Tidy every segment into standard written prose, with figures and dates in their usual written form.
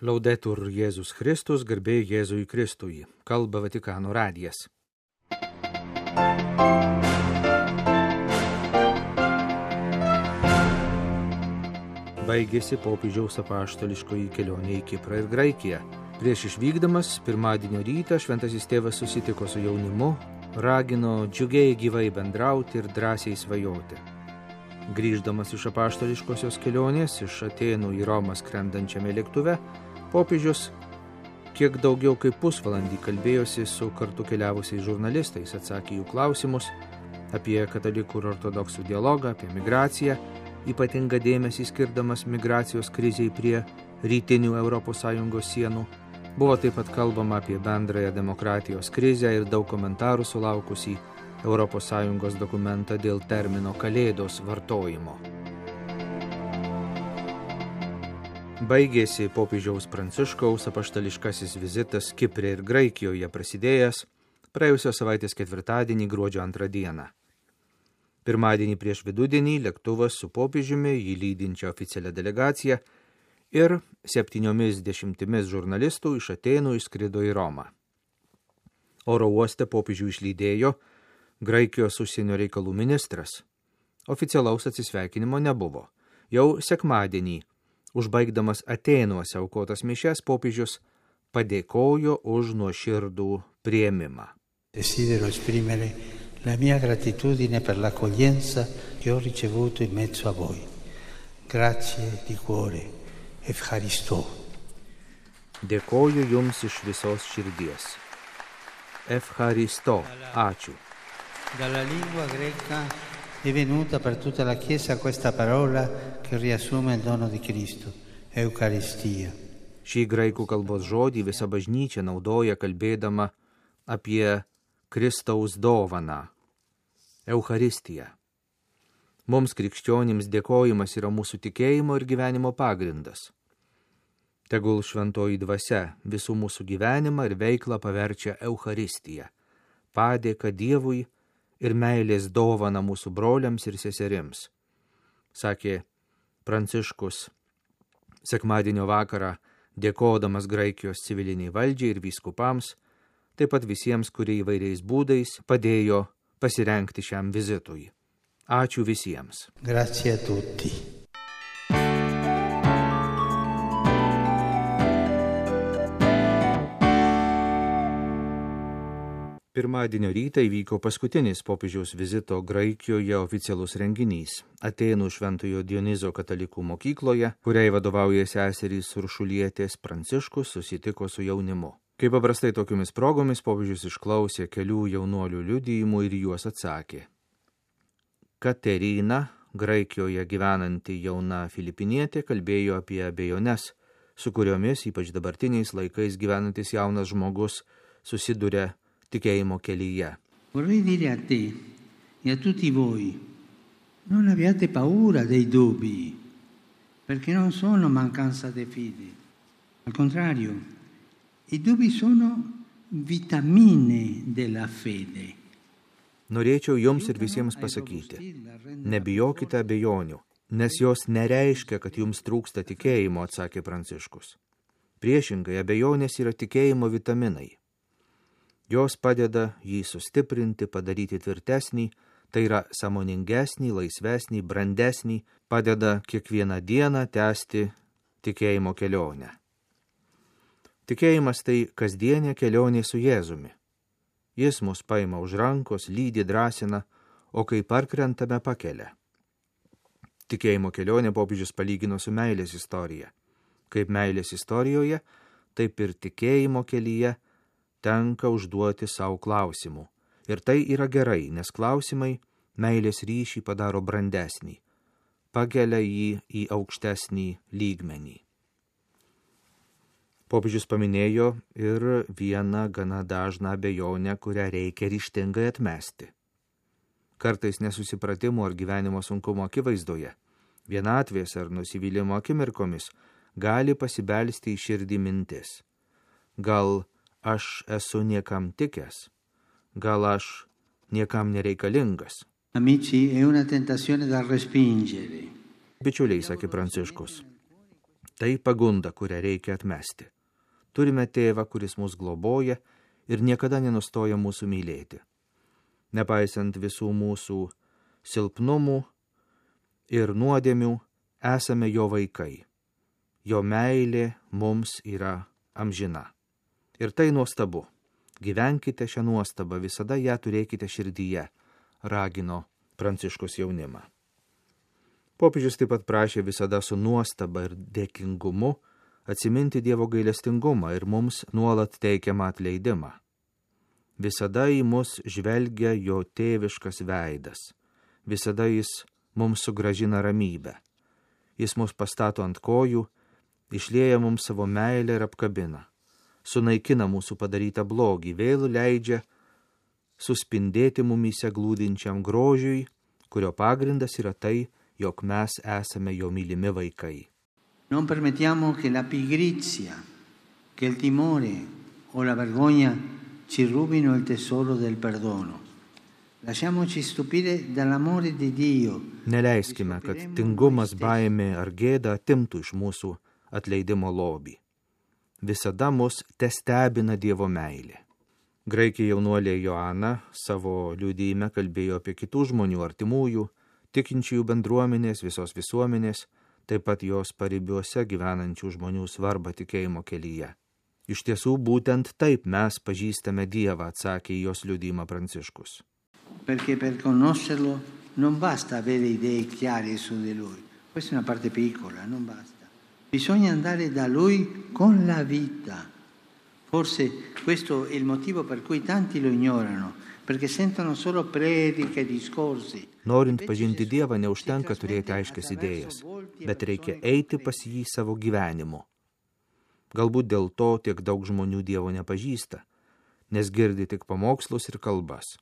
Laudetur Jėzus Kristus, garbė Jėzui Kristui, kalba Vatikano radijas. Baigėsi popiežiaus apaštališkoji kelionė į Kiprą ir Graikiją. Prieš išvykdamas, pirmadienio rytą šventasis tėvas susitiko su jaunimu, ragino džiugiai gyvai bendrauti ir drąsiai svajoti. Grįždamas iš apaštališkosios kelionės, iš Atėnų į Romą skrendančiame lėktuve, popiežius kiek daugiau kaip pusvalandį kalbėjosi su kartu keliavusiais žurnalistais, atsakė jų klausimus apie katalikų ir ortodoksų dialogą, apie migraciją, ypatingą dėmesį skirdamas migracijos krizei prie rytinių ES sienų. Buvo taip pat kalbama apie bendrąją demokratijos krizę ir daug komentarų sulaukusį ES dokumentą dėl termino kalėdos vartojimo. Baigėsi popiežiaus Pranciškaus apaštališkasis vizitas Kipre ir Graikijoje prasidėjęs praėjusios savaitės ketvirtadienį gruodžio 2 dieną. Pirmadienį prieš vidudienį lėktuvas su popiežiumi, jį lydinčia oficialia delegacija ir 70 žurnalistų iš Atėnų išskrido į Romą. Oro uoste popiežių išlydėjo Graikijos užsienio reikalų ministras. Oficialaus atsisveikinimo nebuvo. Jau sekmadienį, užbaigdamas Atėnuose aukotas mišias, popiežius padėkojo už nuoširdų priėmimą. Desidero esprimere la mia gratitudine per l'accoglienza che ho ricevuto in mezzo a voi. Grazie di cuore, Efcharisto. Dėkoju jums iš visos širdies. Efcharisto, ačiū. Dalla lingua greca è venuta per tutta la Chiesa questa parola che riassume il dono di Cristo, Eucaristia. Šį graikų kalbos žodį visa bažnyčia naudoja kalbėdama apie Kristaus dovaną, Eucharistiją. Mums krikščionims dėkojimas yra mūsų tikėjimo ir gyvenimo pagrindas. Tegul šventoji dvasia visų mūsų gyvenimą ir veiklą paverčia Eucharistiją, padėką Dievui ir meilės dovana mūsų broliams ir seserims, sakė Pranciškus sekmadienio vakarą, dėkodamas Graikijos civiliniai valdžiai ir vyskupams, taip pat visiems, kurie įvairiais būdais padėjo pasirengti šiam vizitui. Ačiū visiems. Grazie a tutti. Pirmadienio rytą įvyko paskutinis popiežiaus vizito Graikijoje oficialus renginys. Atėnų Šventojo Dionizo katalikų mokykloje, kuriai vadovauja seserys Uršulietės, Pranciškus susitiko su jaunimu. Kaip paprastai tokiomis progomis popiežius išklausė kelių jaunuolių liudijimų ir juos atsakė. Katerina, Graikijoje gyvenanti jauna filipinietė, kalbėjo apie abejones, su kuriomis ypač dabartiniais laikais gyvenantis jaunas žmogus susiduria tikėjimo kelyje. Vorrei dire a te e a tutti voi, non abbiate paura dei dubbi, perché non sono mancanza di fede. Al contrario, i dubbi sono vitamine della fede. Norėčiau jums ir visiems pasakyti, nebijokite abejonių, nes jos nereiškia, kad jums trūksta tikėjimo, atsakė Pranciškus. Priešingai, abejonės yra tikėjimo vitaminai. Jos padeda jį sustiprinti, padaryti tvirtesnį, tai yra sąmoningesnį, laisvesnį, brandesnį, padeda kiekvieną dieną tęsti tikėjimo kelionę. Tikėjimas tai kasdienė kelionė su Jėzumi. Jis mus paima už rankos, lydi, drąsina, o kai parkrentame pakelia. Tikėjimo kelionė popiežius palygino su meilės istorija. Kaip meilės istorijoje, taip ir tikėjimo kelyje tenka užduoti savo klausimų. Ir tai yra gerai, nes klausimai meilės ryšį padaro brandesnį, pakelia jį į aukštesnį lygmenį. Popiežius paminėjo ir vieną gana dažną abejonę, kurią reikia ryžtingai atmesti. Kartais nesusipratimų ar gyvenimo sunkumo akivaizdoje, vienatvės ar nusivylimo akimirkomis gali pasibelsti į širdį mintis. Gal aš esu niekam tikęs, gal aš niekam nereikalingas. Amici, è una tentazione da respingere. Bičiuliai, sakė Pranciškus, Tai pagunda, kurią reikia atmesti. Turime tėvą, kuris mus globoja ir niekada nenustoja mūsų mylėti. Nepaisant visų mūsų silpnumų ir nuodėmių, esame jo vaikai. Jo meilė mums yra amžina. Ir tai nuostabu. Gyvenkite šią nuostabą, visada ją turėkite širdyje, ragino Pranciškus jaunimą. Popiežius taip pat prašė visada su nuostaba ir dėkingumu atsiminti Dievo gailestingumą ir mums nuolat teikiamą atleidimą. Visada į mus žvelgia jo tėviškas veidas. Visada jis mums sugrąžina ramybę. Jis mus pastato ant kojų, išlieja mums savo meilę ir apkabina. Sunaikina mūsų padarytą blogį, vėl leidžia suspindėti mumyse glūdinčiam grožiui, kurio pagrindas yra tai, jog mes esame jo mylimi vaikai. Non permettiamo che la pigrizia, che il timore o la vergogna ci rubino il tesoro del perdono. Lasciamoci stupire dall'amore di Dio. Neleiskime, kad tingumas, baimė ar gėda atimtų iš mūsų atleidimo lobį. Visada mus testebina Dievo meilė. Graikė jaunuolė Joana savo liudijime kalbėjo apie kitų žmonių artimųjų, tikinčiųjų bendruomenės, visos visuomenės, taip pat jos paribiuose gyvenančių žmonių svarbą tikėjimo kelyje. Iš tiesų, būtent taip mes pažįstame Dievą, atsakė į jos liudijimą Pranciškus. Perché per conoscerlo non basta avere idee chiare su di lui. Questa è una parte piccola, non basta. Bisogna andare da lui con la vita. Forse questo è il motivo per cui tanti lo ignorano, perché sentono solo prediche e discorsi. Norint pažinti Dievą, neužtenka turėti aiškias idėjas, bet reikia eiti pas jį savo gyvenimu. Galbūt dėl to tiek daug žmonių Dievo nepažįsta, nes girdi tik pamokslus ir kalbas.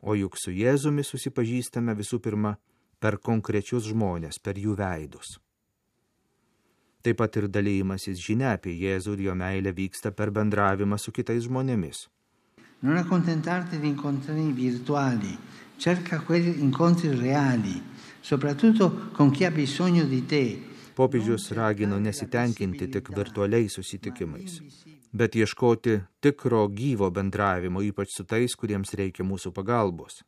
O juk su Jėzumi susipažįstame visų pirma per konkrečius žmonės, per jų veidus. Taip pat ir dalymasis žinia apie Jėzų ir jo meilę vyksta per bendravimą su kitais žmonėmis. Non accontentarti di incontri virtuali, cerca quegli incontri reali, soprattutto con chi ha bisogno di te. Popiežius ragino nesitenkinti tik virtualiais susitikimais, bet ieškoti tikro gyvo bendravimo, ypač su tais, kuriems reikia mūsų pagalbos.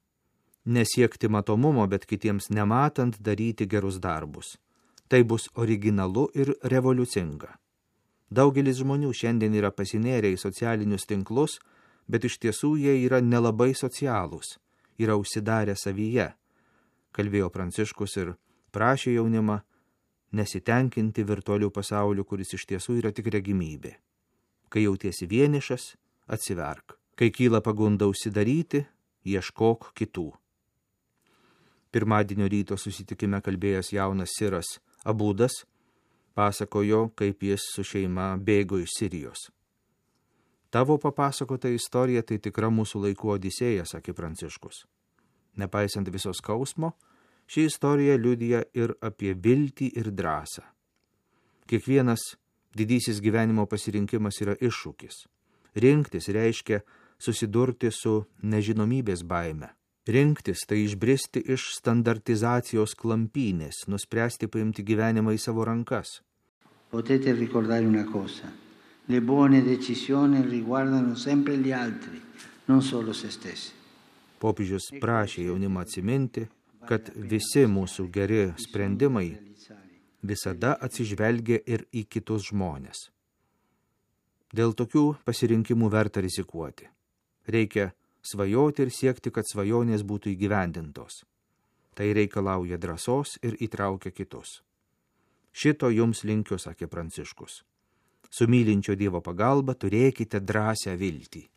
Nesiekti matomumo, bet kitiems nematant daryti gerus darbus. Tai bus originalu ir revoliucinga. Daugelis žmonių šiandien yra pasinėrę į socialinius tinklus, bet iš tiesų jie yra nelabai socialūs, yra užsidarę savyje, kalbėjo Pranciškus ir prašė jaunimą nesitenkinti virtualių pasaulių, kuris iš tiesų yra tik regimybė. Kai jautiesi vienišas, atsiverk. Kai kyla pagunda užsidaryti, ieškok kitų. Pirmadienio ryto susitikime kalbėjęs jaunas siras Abudas pasakojo, kaip jis su šeima bėgo iš Sirijos. Tavo papasakota istorija tai tikra mūsų laikų odisėja, sakė Pranciškus. Nepaisant visos skausmo, ši istorija liudija ir apie viltį ir drąsą. Kiekvienas didysis gyvenimo pasirinkimas yra iššūkis. Rinktis reiškia susidurti su nežinomybės baime. Rinktis tai išbristi iš standartizacijos klampynės, nuspręsti paimti gyvenimą į savo rankas. Potete ricordare una cosa. Le buone decisioni riguardano sempre gli altri, non solo se stessi. Popiežius prašė jaunimą atsiminti, kad visi mūsų geri sprendimai visada atsižvelgia ir į kitus žmonės. Dėl tokių pasirinkimų verta rizikuoti. Reikia svajoti ir siekti, kad svajonės būtų įgyvendintos. Tai reikalauja drąsos ir įtraukia kitus. Šito jums linkiu, sakė Pranciškus. Su mylinčio Dievo pagalba turėkite drąsią viltį.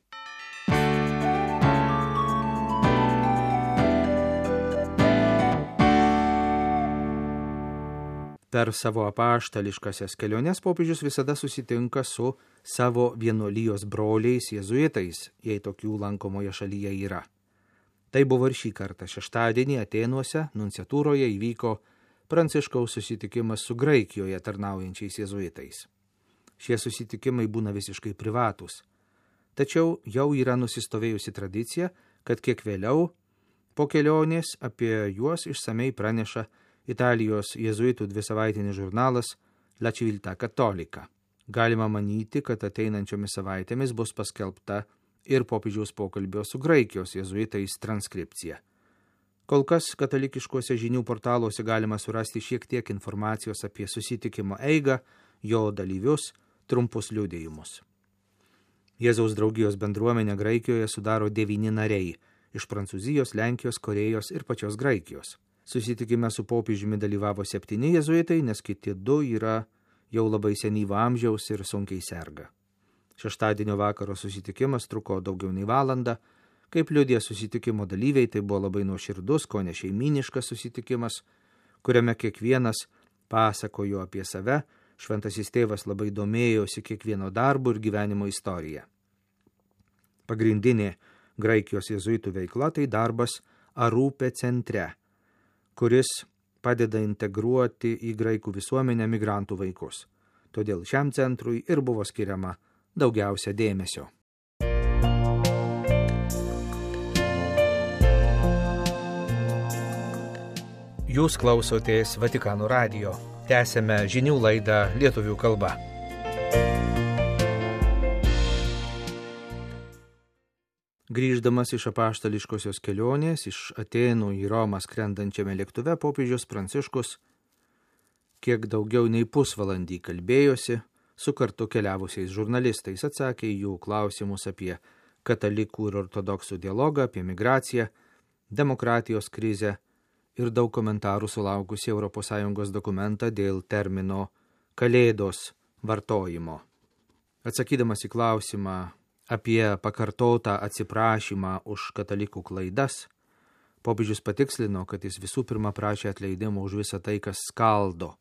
Per savo apaštališkasias keliones popiežius visada susitinka su savo vienuolijos broliais jėzuitais, jei tokių lankomoje šalyje yra. Tai buvo ir šį kartą. Šeštadienį Atėnuose, nunciatūroje įvyko Pranciškaus susitikimas su Graikijoje tarnaujančiais jėzuitais. Šie susitikimai būna visiškai privatūs. Tačiau jau yra nusistovėjusi tradicija, kad kiek vėliau po kelionės apie juos išsamei praneša Italijos jėzuitų 2-savaitinis žurnalas La Civiltà Cattolica. Galima manyti, kad ateinančiomis savaitėmis bus paskelbta ir popiežiaus pokalbio su Graikijos jėzuitais transkripcija. Kol kas katalikiškuose žinių portaluose galima surasti šiek tiek informacijos apie susitikimo eigą, jo dalyvius, trumpus liudijimus. Jėzaus draugijos bendruomenę Graikijoje sudaro 9 nariai iš Prancūzijos, Lenkijos, Korėjos ir pačios Graikijos. Susitikime su popiežiumi dalyvavo 7 jėzuitai, nes kiti 2 yra jau labai senyvo amžiaus ir sunkiai serga. Šeštadienio vakaro susitikimas truko daugiau nei valandą. Kaip liudija susitikimo dalyviai, tai buvo labai nuoširdus, kone šeimyniškas susitikimas, kuriame kiekvienas pasakojo apie save, šventasis tėvas labai domėjosi kiekvieno darbo ir gyvenimo istorija. Pagrindinė Graikijos jėzuitų veikla tai darbas Arupė centre, kuris padeda integruoti į graikų visuomenę migrantų vaikus. Todėl šiam centrui ir buvo skiriama daugiausia dėmesio. Jūs klausotės Vatikano radijo. Tęsėme žinių laidą lietuvių kalba. Grįždamas iš apaštališkosios kelionės, iš Atėnų į Romą skrendančiame lėktuve, popiežius Pranciškus kiek daugiau nei pusvalandį kalbėjosi su kartu keliavusiais žurnalistais, atsakė į jų klausimus apie katalikų ir ortodoksų dialogą, apie migraciją, demokratijos krizę ir daug komentarų sulaukusi ES dokumentą dėl termino kalėdos vartojimo. Atsakydamas į klausimą apie pakartotą atsiprašymą už katalikų klaidas, popiežius patikslino, kad jis visų pirma prašė atleidimo už visą tai, kas skaldo,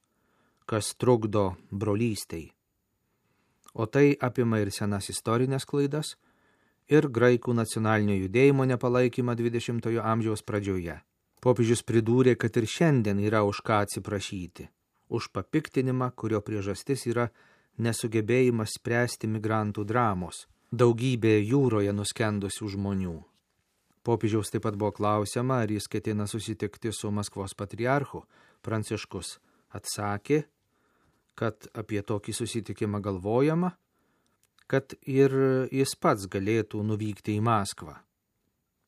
kas trukdo brolystei. O tai apima ir senas istorinės klaidas, ir graikų nacionalinio judėjimo nepalaikymą 20-ojo amžiaus pradžioje. Popiežius pridūrė, kad ir šiandien yra už ką atsiprašyti, už papiktinimą, kurio priežastis yra nesugebėjimas spręsti migrantų dramos, daugybė jūroje nuskendusių žmonių. Popiežiaus taip pat buvo klausiama, ar jis ketina susitikti su Maskvos patriarchu. Pranciškus atsakė, kad apie tokį susitikimą galvojama, kad ir jis pats galėtų nuvykti į Maskvą.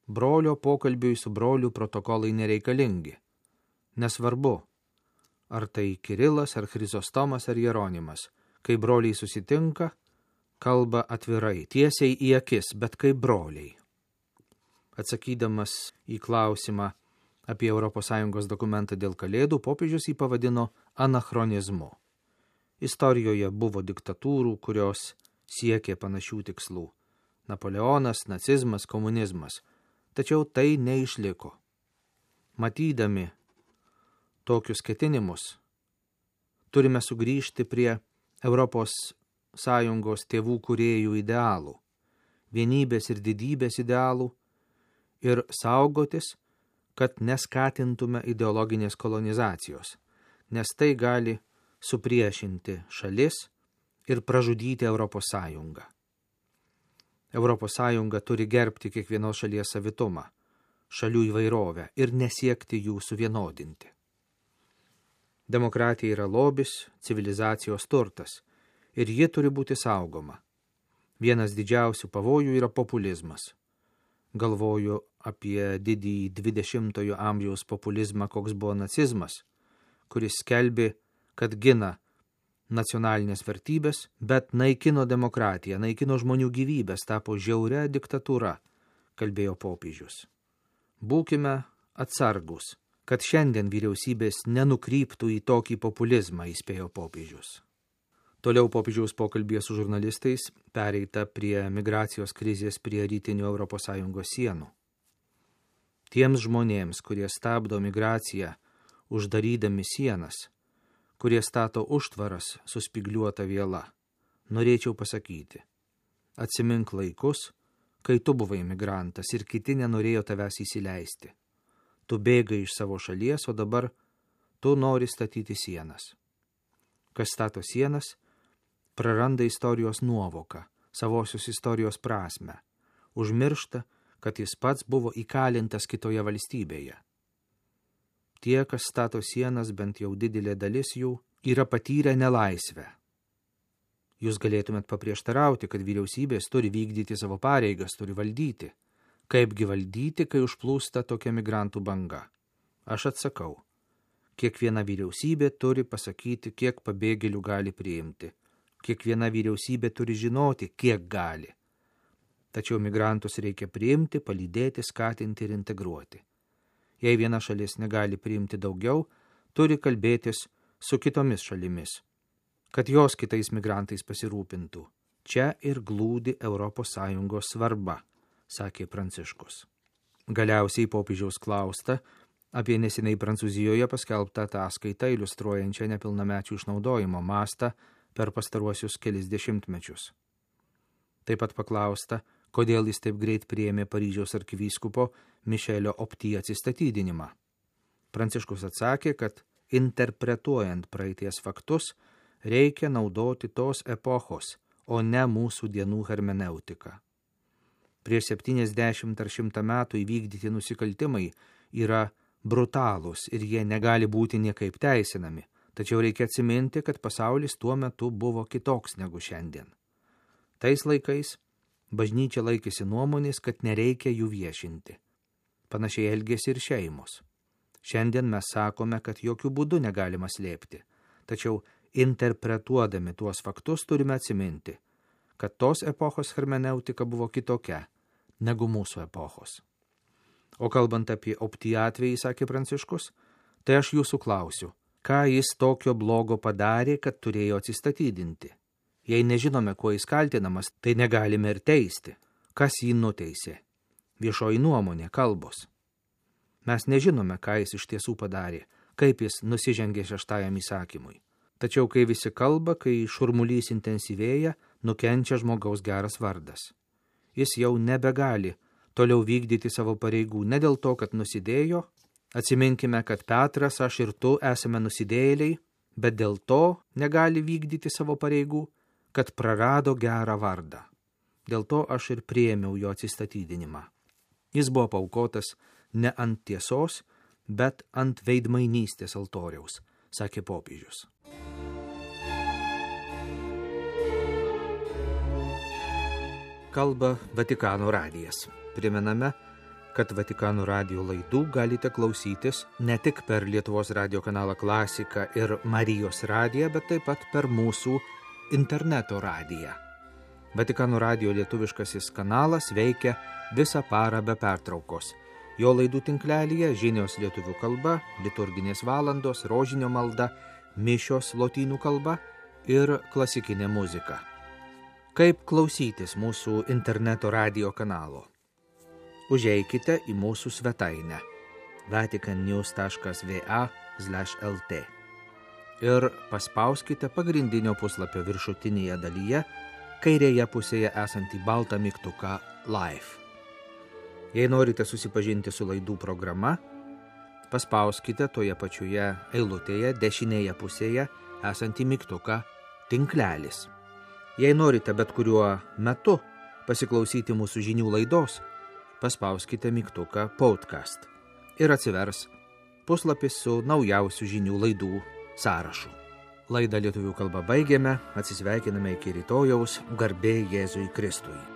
Brolio pokalbiui su broliu protokolai nereikalingi. Nesvarbu, ar tai Kirilas, ar Chrizostomas, ar Jeronimas. Kai broliai susitinka, kalba atvirai, tiesiai į akis, bet kaip broliai. Atsakydamas į klausimą apie ES dokumentą dėl kalėdų, popiežius jį pavadino anachronizmu. Istorijoje buvo diktatūrų, kurios siekė panašių tikslų. Napoleonas, nacizmas, komunizmas. Tačiau tai neišliko. Matydami tokius ketinimus, turime sugrįžti prie ES tėvų kūrėjų idealų, vienybės ir didybės idealų ir saugotis, kad neskatintume ideologinės kolonizacijos, nes tai gali supriešinti šalis ir pražudyti ES. ES turi gerbti kiekvienos šalies savitumą, šalių įvairovę ir nesiekti jų suvienodinti. Demokratija yra lobis, civilizacijos turtas ir ji turi būti saugoma. Vienas didžiausių pavojų yra populizmas. Galvoju apie didįjį 20-ojo amžiaus populizmą, koks buvo nacizmas, kuris skelbė, kad gina nacionalinės vertybės, bet naikino demokratiją, naikino žmonių gyvybės, tapo žiauria diktatūra, kalbėjo popiežius. Būkime atsargus, kad šiandien vyriausybės nenukryptų į tokį populizmą, įspėjo popiežius. Toliau popiežiaus pokalbėje su žurnalistais pereita prie migracijos krizės prie rytinių ES sienų. Tiems žmonėms, kurie stabdo migraciją, uždarydami sienas, kurie stato užtvaras su spygliuota viela, norėčiau pasakyti, atsimink laikus, kai tu buvai migrantas ir kiti nenorėjo tavęs įsileisti. Tu bėgai iš savo šalies, o dabar tu nori statyti sienas. Kas stato sienas, praranda istorijos nuovoką, savosios istorijos prasmę, užmiršta, kad jis pats buvo įkalintas kitoje valstybėje. Tie, kas stato sienas, bent jau didelė dalis jų, yra patyrę nelaisvę. Jūs galėtumėt paprieštarauti, kad vyriausybės turi vykdyti savo pareigas, turi valdyti. Kaipgi valdyti, kai užplūsta tokia migrantų banga? Aš atsakau, kiekviena vyriausybė turi pasakyti, kiek pabėgėlių gali priimti. Kiekviena vyriausybė turi žinoti, kiek gali. Tačiau migrantus reikia priimti, palydėti, skatinti ir integruoti. Jei viena šalis negali priimti daugiau, turi kalbėtis su kitomis šalimis, kad jos kitais migrantais pasirūpintų. Čia ir glūdi ES svarba, sakė Pranciškus. Galiausiai popiežiaus klausta apie neseniai Prancūzijoje paskelbtą ataskaitą iliustruojančią nepilnamečių išnaudojimo mastą per pastaruosius kelis dešimtmečius. Taip pat paklausta, kodėl jis taip greit priėmė Paryžiaus arkivyskupo Mišelio Opti atsistatydinimą. Pranciškus atsakė, kad interpretuojant praeities faktus, reikia naudoti tos epochos, o ne mūsų dienų hermeneutiką. Prieš 70 ar 100 metų įvykdyti nusikaltimai yra brutalūs ir jie negali būti niekaip teisinami, tačiau reikia atsiminti, kad pasaulis tuo metu buvo kitoks negu šiandien. Tais laikais bažnyčia laikėsi nuomonės, kad nereikia jų viešinti. Panašiai elgėsi ir šeimos. Šiandien mes sakome, kad jokių būdų negalima slėpti, tačiau interpretuodami tuos faktus turime atsiminti, kad tos epochos hermeneutika buvo kitokia negu mūsų epochos. O kalbant apie Opti atvejį, sakė Pranciškus, tai aš jūsų klausiu, ką jis tokio blogo padarė, kad turėjo atsistatydinti. Jei nežinome, kuo jis kaltinamas, tai negalime ir teisti. Kas jį nuteisė? Viešoji nuomonė, kalbos. Mes nežinome, ką jis iš tiesų padarė, kaip jis nusižengė 6 įsakymui. Tačiau kai visi kalba, kai šurmulys intensyvėja, nukenčia žmogaus geras vardas. Jis jau nebegali toliau vykdyti savo pareigų, ne dėl to, kad nusidėjo. Atsiminkime, kad Petras, aš ir tu esame nusidėjėliai, bet dėl to negali vykdyti savo pareigų, kad prarado gerą vardą. Dėl to aš ir priėmiau jo atsistatydinimą. Jis buvo paaukotas ne ant tiesos, bet ant veidmainystės altoriaus, sakė popiežius. Kalba Vatikano radijas. Primename, kad Vatikano radijo laidų galite klausytis ne tik per Lietuvos radijo kanalą Klasika ir Marijos radiją, bet taip pat per mūsų interneto radiją. Vatikano radijo lietuviškasis kanalas veikia visą parą be pertraukos. Jo laidų tinklelyje žinios lietuvių kalba, liturginės valandos, rožinio malda, mišios lotynų kalba ir klasikinė muzika. Kaip klausytis mūsų interneto radijo kanalo? Užeikite į mūsų svetainę vaticannews.va/lt ir paspauskite pagrindinio puslapio viršutinėje dalyje, kairėje pusėje esantį baltą mygtuką Live. Jei norite susipažinti su laidų programa, paspauskite toje pačioje eilutėje dešinėje pusėje esantį mygtuką Tinklelis. Jei norite bet kuriuo metu pasiklausyti mūsų žinių laidos, paspauskite mygtuką Podcast ir atsivers puslapis su naujausių žinių laidų sąrašu. Laidą lietuvių kalba baigėme, atsisveikiname iki rytojaus, garbė Jėzui Kristui.